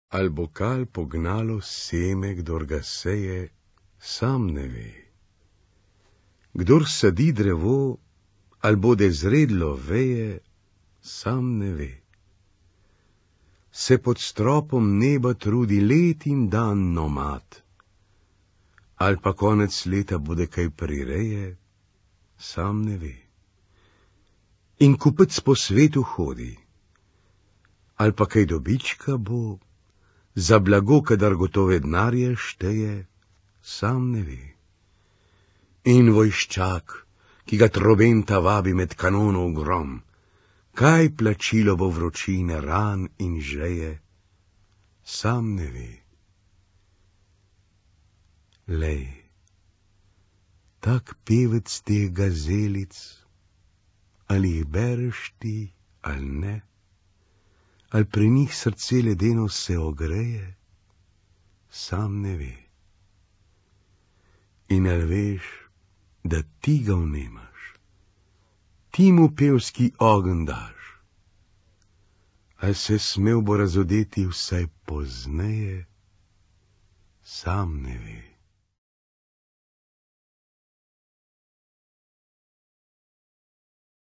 Al bo kal pognalo seme, kdor ga seje, sam ne ve. Kdor sadi drevo, al bode zredlo veje, sam ne ve. Se pod stropom neba trudi let in dan nomad, al pa konec leta bude kaj prireje, sam ne ve. In kupec po svetu hodi, al pa kaj dobička bo, za blago, kadar gotove denarje šteje, sam ne ve. In vojščak, ki ga trobenta vabi med kanonov grom, kaj plačilo bo vročine, ran in žeje, sam ne ve. Lej, tak pevec teh gazelic, ali jih bereš ti, ali ne, ali pri njih srce ledeno se ogreje, sam ne ve. In ali veš, da ti ga vnemaš, ti mu pevski ogenj daš, ali se smel bo razodeti vsaj pozneje, sam ne ve.